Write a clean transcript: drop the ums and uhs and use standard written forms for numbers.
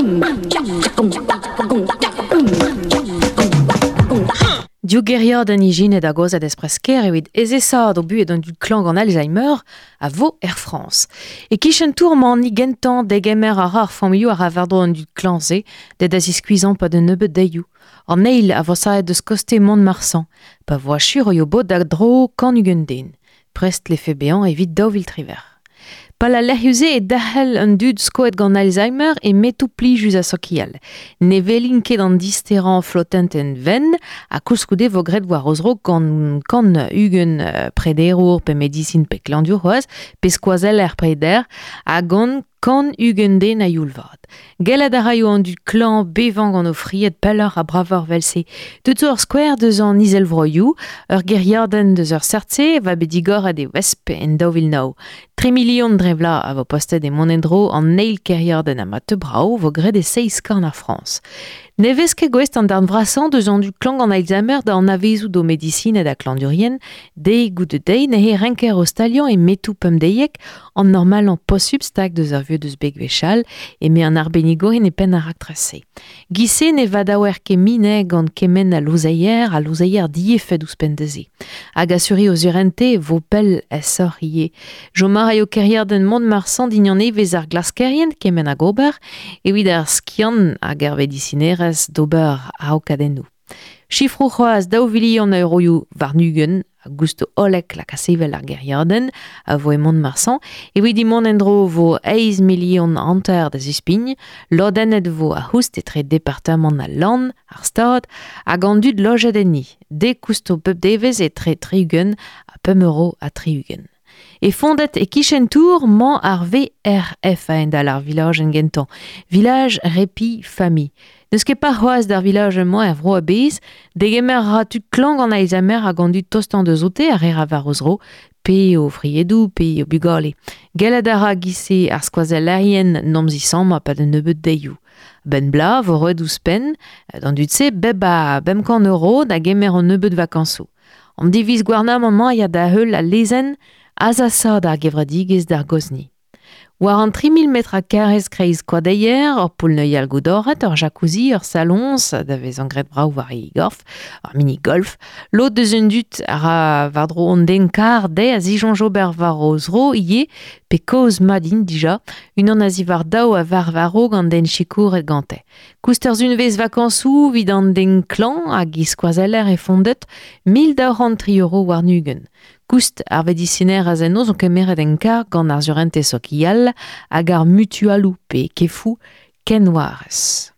Div gêriadenn ijinet hag aozet espress-kêr evit ezesaat o buhez d'an dud klañv gant Alzheimer a vo er Frañs. E-kichen tour-mañ gentañ degemer a ra ar familhoù a ra war-dro an dud klañv-se da da ziskuizhañ 'pad un nebeud deioù. An eil a vo savet deus koste Mont-Marsan, pa vo achu roio bod da dro 120 den. Prest 'lefe bezañ evit 2018. Pal al lec'hioù-se eo derc'hel an dud skoet gant Alzheimer e metoù plijus ha sokial. Ne welin ket an disterañ flotentenn wenn ha koulskoude vo graet war o zro gant 120 prederour pe medisin pe klañvdiour c'hoazh pe skoazeller preder ha gant 120 den a-youl vat. Gellet a raio an dud klañv bevañ gant o fried pelloc'h ha bravoc'h 'vel-se. Deut zo ur skouer deus an Izelvroioù, ur gêriadenn deus ur seurt-se va bet digoret e Wesp en 2009. Tri milion dre vloaz a vo postet e mont en-dro an eil kêriadenn ha ma teu brav vo graet e seizh korn ar Frañs. Ne vez ket gouest an darn vrasañ deus an dud klañv gant Alzheimer da anavezout o medisined ha klañvdiourien deiz goude deiz neuze renker o staliañ e metoù pemdeiek an normalañ posupl stag deus ar vuhez deus bet gwechall eme an arbennigourien e penn ar raktres-se. Giz-se ne vadaouer ket mine gant kement a louzeier ha louzeier diefed ouzhpenn da se. Hag asuriñ o surente vo pell aesoc'h ivez. Chom a raio kêriadenn Mont-Marsan dindan evezh ar glaskerien kement hag ober evit ar skiant hag ar vedisinerezh d'ober araokadennoù. Sifroù c'hoazh daou vilion a euroioù warn-ugent a gousto hollek lakaat sevel ar gêriadenn a vo e Mont-Marsan. Evit he mont en-dro vo eizh milion hanter da zispign. Lodennet vo ar c'houst etre departamant al Lann, ar Stad hag an dud lojet enni. Dek kousto pep devezh etre 60 ha 5 euro ha 60. E fondet e-kichen tour 'mañ ar VRF a-hend-all ar vilajenn gentañ, Village Répit Famille. N'eus ket par c'hoazh d'ar vilajenn-mañ er vro a-bezh, degemer a ra tud klañv gant Alzheimer hag an dud tostañ deus oute a reer war o zro, pe o friedoù pe o bugale. Gellet a ra giz-se ar skoazellerien n'omp zisammañ 'pad un nebeud deioù. 'Benn bloaz 'vo roet ouzhpenn d'an dud-se bep a 500 euro da gemer un nebeud vakañsoù. An diviz gouarnamant-mañ a ya da-heul al lezenn azasaat ar gevredigezh d'ar gozhni. War an 3000 metr karrez kreiz koadeier, ur poull-neuial goudoret, ur jacuzzi, ur saloñs da vezañ graet brav war e gorf, ur mini-golf. Lod deus an dud a ra war-dro an den kar dezhe a zisoñj ober war o zro ivez, pe kaoz mat int dija, unan a-ziwar daou a varv a-raok an den sikouret gante. Koust ur sunvezh vakañsoù evit an den klañv hag e skoazeller e fondet 1203 euro warn-ugent. Koust ar vedisinerezh eno zo kemeret en karg gant ar surentez sokial hag ar mutualoù pe kefoù kenwarez.